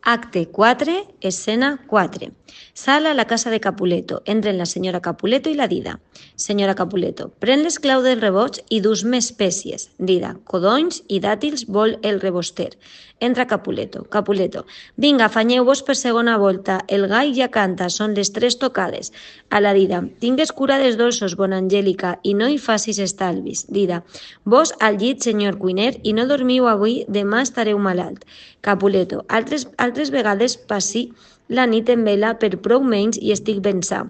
Acte 4, escena 4. Sala a la casa de Capuleto. Entren la senyora Capuleto i la Dida. Senyora Capuleto, pren l'esclau del reboig i dus més espècies. Dida, codonys i dàtils vol el reboster. Entra Capuleto. Capuleto, vinga, afanyeu-vos per segona volta. El gall ja canta, són les 3 tocades. A la Dida, tingues cura dels dolços, bona Angèlica, i no hi facis estalvis. Dida, vos al llit, senyor cuiner, i no dormiu avui, demà estareu malalt. Capuleto, altres vegades passi la nit en vela per prou menys i estic ben sa.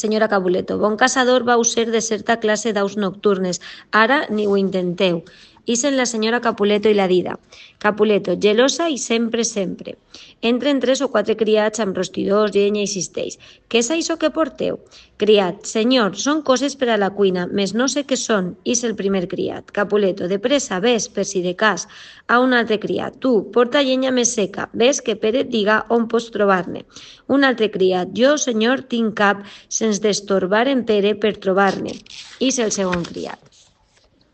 Senyora Capuleto, bon caçador vau ser de certa classe d'aus nocturnes. Ara ni ho intenteu. Ixen la senyora Capuleto i la Dida. Capuleto, gelosa i sempre. Entren 3 o 4 criats amb rostidors, llenya i cistells. Què és això que porteu? Criat, senyor, són coses per a la cuina, més no sé què són. Ix el primer criat. Capuleto, de pressa, ves, per si de cas. A un altre criat, tu, porta llenya més seca. Ves que Pere et diga on pots trobar-ne. Un altre criat, jo, senyor, tinc cap, sense destorbar en Pere per trobar-ne. Ix el segon criat.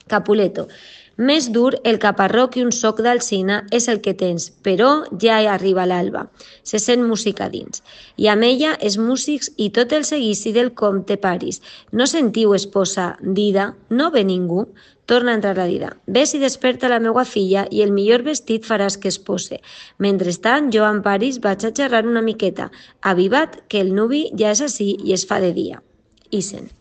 Capuleto, més dur el caparró que un soc d'alzina és el que tens, però ja arriba l'alba. Se sent música dins. I amb ella els músics i tot el seguici del comte Paris. No sentiu, esposa, Dida? No ve ningú? Torna a entrar la Dida. Ves i desperta la meua filla i el millor vestit faràs que es pose. Mentrestant, jo amb Paris vaig a xerrar una miqueta. Aviva't, que el nuvi ja és ací i es fa de dia. Ixen.